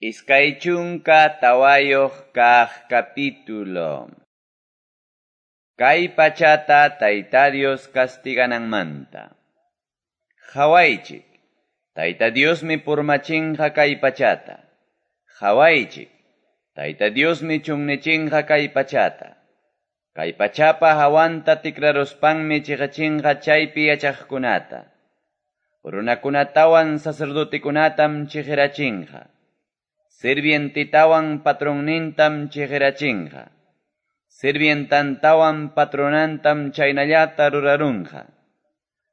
24 kaq capítulo. Kay pachata Tayta Dios castigananmanta. Qawaychik, Tayta Diosmi purmachinqa kay pachata. Qawaychik, Tayta Diosmi chunnichinqa kay pachata. Kay pachapa hawanta tikraruspanmi chiqachinqa chaypi yachaqkunata. Runakunatawan sacerdotikunatam chiqirachinqa. Sirvientitawan patronnintam chiqirachinqa. Sirvientantawan patronantam chaynallata rurarunqa.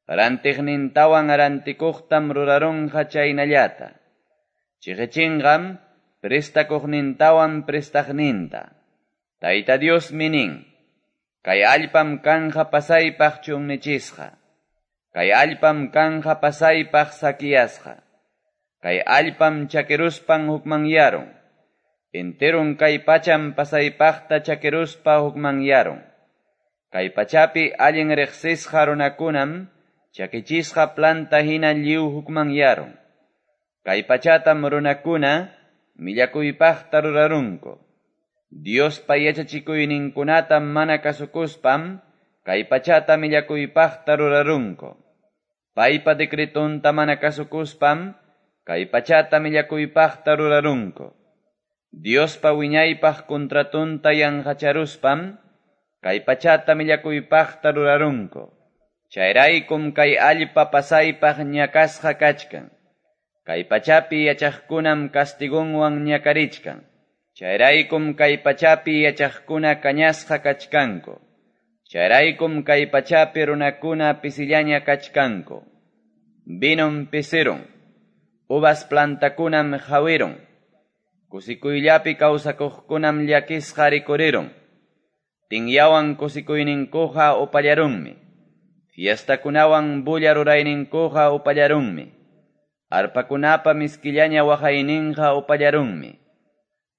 Rantiqnintawan rantikuqtam rurarunqa chaynallata. Chiqichinqam prestakuqnintawan prestaqninta. Tayta Diosmi nin, kay allpam kanja pasaypaq chunnichisqa. Kay allpam kanja pasaypaq sakiyasqa. Kay allpam chakiruspan hukmanyarun. Enterun kay pacham pasaypaqta chakiruspa hukmanyarun. Kay pachapi allin riqsisqa runakunam chakichisqa planta hina lliw hukmanyarun. Kay pachatam runakuna millakuypaqta rurarunku. Diospa yachachikuyninkunatam mana kasukuspam kay pachata millakuypaqta rurarunku. Paypa decretonta mana kasukuspam kay pachata millakuypaqta rurarunku. Diospa wiñaypaq contratonta yanqacharuspam kay pachata millakuypaqta rurarunku. Chayraykum kay allpa pasaypaq ñakasqa kachkan. Kay pachapi yachaqkunam castigonwan ñakarichkan. Chayraykum kay pachapi yachaqkuna kañasqa kachkanku. Chayraykum kay pachapi runakuna pisillaña kachkanku. Vinom pisirun. Uvas plantakunam hawirun. Kusikuyllapi kawsakuqkunam llakisqa rikurirun. Tinyawan kusikuyninkuqa upallarunmi. Fiestakunawan bulla rurayninkuqa upallarunmi. Arpakunapa miskillaña waqayninqa upallarunmi.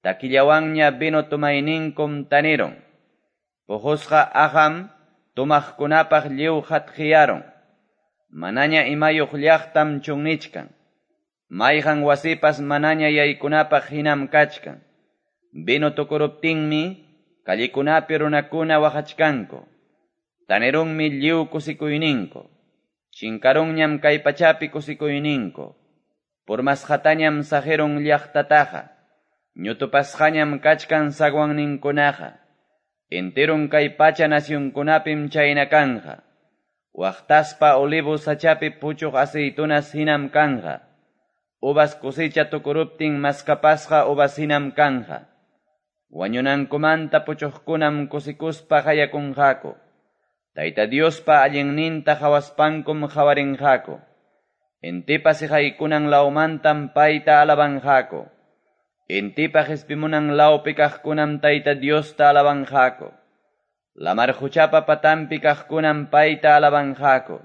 Takillawanña vino tumayninkum tanirun. Puqusqa aqam tumaqkunapaq lliw hatqiyarun. Manaña imayuq llaqtam chunnichkan. Mayqan wasipas manaña yaykunapaq hinam kachkan. Vino tukuruptinmi callikunapi runakuna waqachkanku. Tanirunmi lliw kusikuyninku. Chinkarunñam kay pachapi kusikuyninku. Purmasqatañam saqirun llaqtataqa. Ñutupasqañam kachkan sagwanninkunaqa. Enterun kay pacha nacionkunapim chayna kanja. Waqtaspa olivo sachapi puchuq aceitunas hinam kanja. Uvas cosecha tukuruptin maskapasqa uvas hinam kanja. Wañunankumanta puchuqkunam kusikuspa hayakunqaku. Tayta Diospa allinninta qhawaspankum qhawarinqaku. Intipa siqaykunan lawmantam payta alabanqaku. Intipa qispimunan lawpi kaqkunam Tayta Diosta alabanqaku. Lamar quchapa patanpi kaqkunam payta alabanqaku.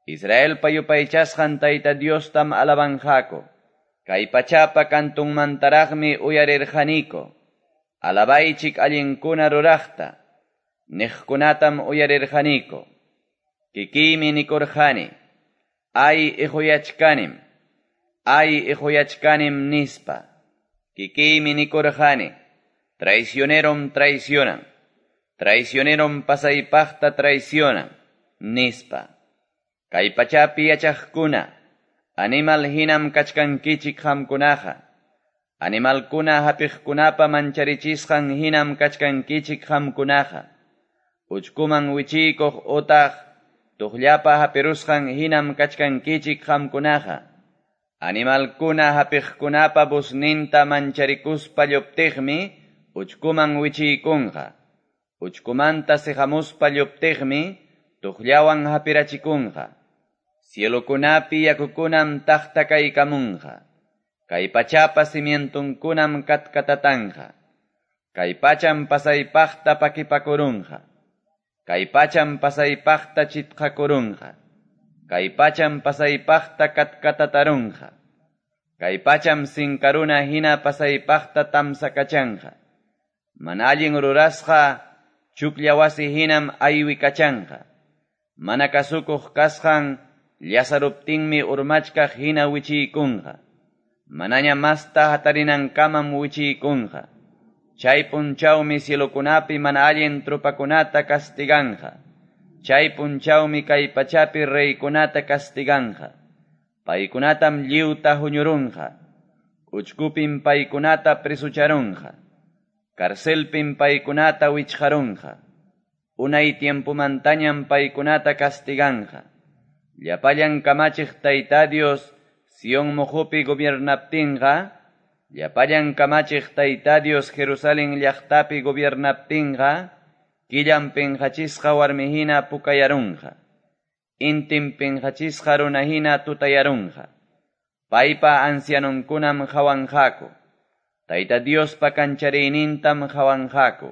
Israelpa yupaychasqan Tayta Diostam alabanqaku. Kay pachapa kantunmantaraqmi uyarirqaniku. Alabaychik allinkuna ruraqta. Niqkunatam uyarirqaniku. Kikiymi nikurqani. Ay iquyachkanim. Ay iquyachkanim nispa. Kikiymi nikurqani. Traicionerom traicionan. Traicionerom pasaypaqta traicionan. Nispa. Kay pachapi yachaqkuna, animal hinam kachkankichik qamkunaqa. Animalkuna hapiqkunapa mancharichisqan hinam kachkankichik qamkunaqa. Uchkuman wichiykuq utaq tuqllapa hapirusqan hinam kachkankichik qamkunaqa. Animalkuna hapiqkunapa busninta mancharikuspa lluptiqmi uchkuman wichiykunqa. Uchkumanta siqamuspa lluptiqmi tuqllawan hapirachikunqa. Cielokunapi yakukunam taqtakaykamunqa. Kay pachapa cimientunkunam katkatatanqa. Kay pacham pasaypaqta pakipakurunqa. Kay pacham pasaypaqta chitqakurunqa. Kay pacham pasaypaqta katkatatarunqa. Kay pacham sinkaruna hina pasaypaqta tamsakachanqa. Mana allin rurasqa chuklla wasi hinam aywikachanqa. Mana kasukuq kasqan llasaruptinmi urmachkaq hina wichiykunqa. Manaña masta hatarinankamam wichiykunqa. Chay punchawmi cielokunapi mana allin tropakunata castiganqa. Chay punchawmi kay pachapi reykunata castiganqa. Paykunatam lliwta huñurunqa. Uchkupim paykunata presucharunqa. Carcelpim paykunata wichqarunqa. Unay tiempomantañam paykunata castiganqa. Llapallan kamachiq Tayta Dios Sion moqopi gobiernaptinqa, llapallan kamachiq Tayta Dios Jerusalén llaqtapi gobiernaptinqa, killam pinqachisqa warmihina pukayarunqa. Intim pinqachisqa runahina tutayarunqa. Paypa ancianunkunam qawanqaku. Tayta Diospa kanchariynintam qawanqaku.